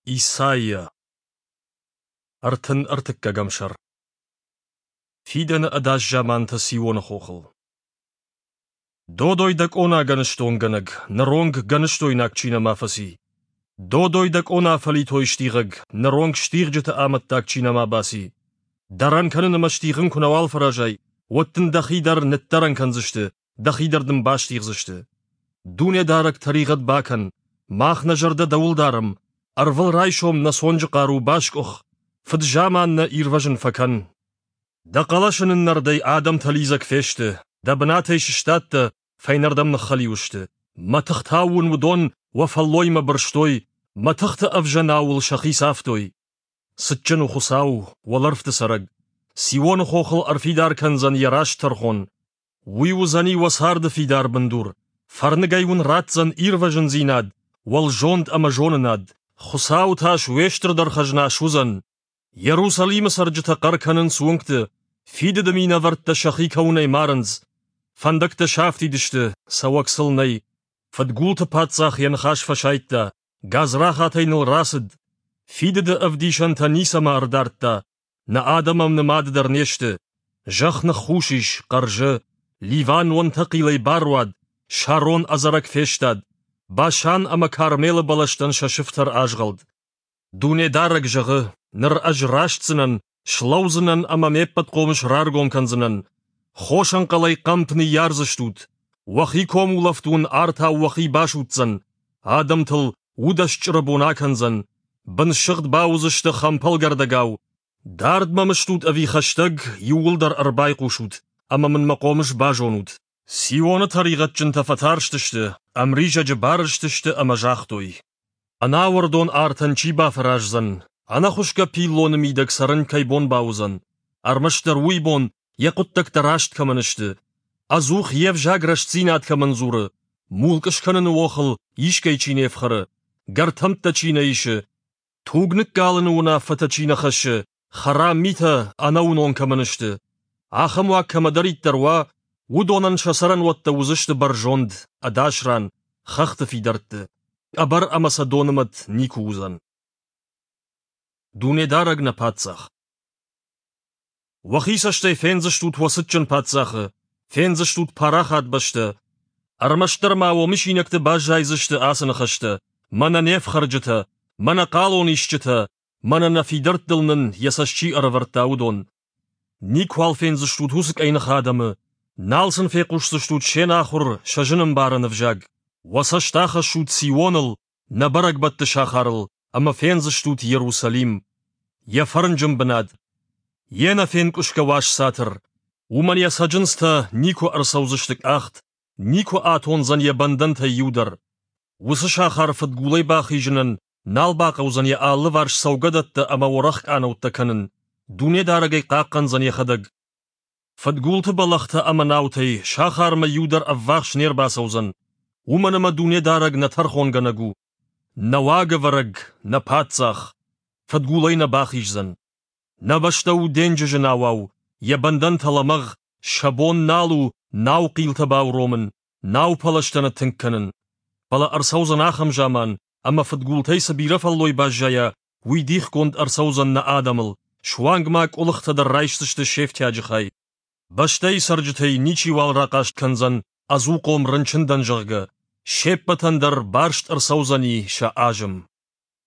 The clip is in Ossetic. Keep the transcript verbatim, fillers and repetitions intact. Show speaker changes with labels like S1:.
S1: Исайя. Ӕртын ӕртыккӕгӕм сӕр. Фидӕны ӕдас замантӕ Сионы хохыл. Додой дӕ къона гӕныстонгӕнӕг, ныронг гӕныстойнаг чи нӕма фӕци. Додой дӕ къона фӕлитой стигъӕг, ныронг стигъджыты амӕттаг чи нӕма баци. Дӕрӕн кӕнын ӕмӕ стигъын куы нӕуал фӕразай, уӕд дын дӕхи дӕр ныддӕрӕн кӕндзысты, дӕхи дӕр дын бастигъдзысты. Дунедарӕг тӕригъӕд бакӕн, мах нӕ зӕрдӕ дӕуыл дарӕм, ӕрвылрайсом нӕ цонджы хъару баскъуых, фыд-заман нӕ ирвӕзын фӕкӕн. Дӕ хъӕлӕсы ныннӕрдӕй адӕмтӕ лидзӕг фесты, дӕ бынатӕй сыстадтӕ, фӕйнӕрдӕм ныххӕлиу сты. Мӕтыхтау уын уыдон уӕ фӕллоймӕ бырстой, мӕтыхты ӕвзӕнау уыл сӕхи цавтой. Цытджын у Хуыцау, уӕлӕрвты цӕрӕг. Сионы хохыл ӕрфидар кӕндзӕн йӕ раст тӕрхон. Уый уыдзӕни уӕ царды фидар бындур, фӕрныгӕй уын ратдзӕн ирвӕзындзинад, уӕлзонд ӕмӕ зонынад. Хуыцауы тас уе стырдӕр хӕзна суыдзӕн. Иерусалимы цӕрджытӕ хъӕр кӕнынц уынгты, фидыды минӕвӕрттӕ сӕхи кӕуынӕй марынц. Фӕндӕгтӕ сафтид сты, цӕуӕг сыл нӕй. Фыдгулты паддзах йӕ ныхас фӕсайдта, гадзрахатӕй ныл рацыд. Фидыды ӕвдисӕнтӕ ницӕмӕ ӕрдардта, нӕ адӕм ӕм нымады дӕр не сты. Зӕхх ныххус ис, хъӕрзы, Ливан уӕнтӕхъилӕй баруад, Шарон ӕдзӕрӕг фестад, Башан ӕмӕ Кармелы бӕлӕстӕн сӕ сыфтӕр азгъӕлд. Дунедарӕг зӕгъы, ныр ӕз растдзынӕн, слӕудзынӕн ӕмӕ ме ппӕт хъомыс раргом кӕндзынӕн. Хосӕнхъӕлӕй хъӕмп ныййардзыстут, уӕхи комулӕфт уын артау уӕхи басудздзӕн, адӕмтыл удӕст чъыры бон акӕндзӕн, бынсыгъд бауыдзысты хӕмпӕлгӕрдӕгау. Дард мӕм стут ӕви хӕстӕг, иууылдӕр ӕрбайхъусут, ӕмӕ мын мӕ хъомыс базонут. Сионы тӕригъӕдджынтӕ фӕтарстысты, ӕмризӕджы барызтысты ӕмӕ загътой: Ӕнауӕрдон артӕн чи бафӕраздзӕн, ӕнӕхуысгӕ пиллоны мидӕг цӕрын кӕй бон бауыдзӕн? Ӕрмӕстдӕр уый бон, йӕ хъуыддӕгтӕ раст кӕмӕн сты, ӕдзух йе взаг рӕстдзинад кӕмӕн дзуры, мулкъ скӕныны охыл искӕй чи не фхӕры, гӕртӕмттӕ чи нӕ исы, туг ныккалыны уынаффӕтӕ чи нӕ хӕссы, хӕрам митӕ ӕнӕуынон кӕмӕн сты. Ахӕм уаг кӕмӕдӕриддӕр уа, уыдонӕн сӕ цӕрӕнуӕттӕ уыдзысты бӕрзонд, ӕдас ран, хӕхты фидӕртты. Къӕбӕр ӕмӕ сӕ доны мӕт никуы уыдзӕн. Дунедарӕг нӕ паддзах. Уӕхи цӕстӕй фендзыстут уӕ цытджын паддзахы, фендзыстут парахат бӕстӕ. Ӕрмӕстдӕр ма уӕ мысинӕгты баззайдзысты ацы ныхӕстӕ: мӕнӕ не фхӕрджытӕ, мӕнӕ хъалонисджытӕ, мӕнӕ нӕ фидӕрттыл нын йӕ цӕст чи ӕрӕвӕрдта, уыдон. Никуал фендзыстут уыцы къӕйных адӕмы, нал сын фехъусдзыстут се нахуыр, сӕ зынӕмбарӕн ӕвзаг. Уӕ цӕст ахӕссут Сионыл, нӕ бӕрӕгбӕтты сахарыл, ӕмӕ фендзыстут Иерусалим. Йӕ фӕрнджын бынат, йе нӕфенкъуысгӕ уаз цатыр. Уымӕн йӕ цӕджындзтӕ никуы ӕрцӕудзысты къахт, никуы атондзӕн йӕ бӕндӕнтӕй иу дӕр. Уыцы сахар фыдгулӕй бахизынӕн нал бахъӕудзӕн йӕ алыварс цӕугӕдӕттӕ ӕмӕ уӕрӕх къанӕуттӕ кӕнын. Дунедарӕг ӕй хъахъхъӕндзӕн йӕхӕдӕг. Фыдгулты бӕлӕгътӕ ӕмӕ наутӕй сахармӕ иу дӕр ӕввахс не рбацӕудзӕн, уымӕн ӕмӕ Дунедарӕг нӕ тӕрхонгӕнӕг у, нӕ уагӕвӕрӕг, нӕ паддзах, фыдгулӕй нӕ бахиздзӕн. Нӕ бӕстӕ у денджызы науау, йӕ бӕндӕнтӕ лӕмӕгъ, сӕ бон нал у наухъилтӕ бауромын, наупӕлӕзтӕ ныттынг кӕнын. Фӕлӕ ӕрцӕудзӕн ахӕм заман, ӕмӕ фыдгултӕй цы бирӕ фӕллой баззайа, уый дихгонд ӕрцӕудзӕн нӕ адӕмыл, суанг ма къуылыхтӕ дӕр райсдзысты се фтиаджы хай. Бӕстӕйы цӕрджытӕй ничиуал рахъаст кӕндзӕн ӕдзухъом рынчын дӕн, зӕгъгӕ, се ппӕтӕн дӕр барст ӕрцӕудзӕни сӕ азым.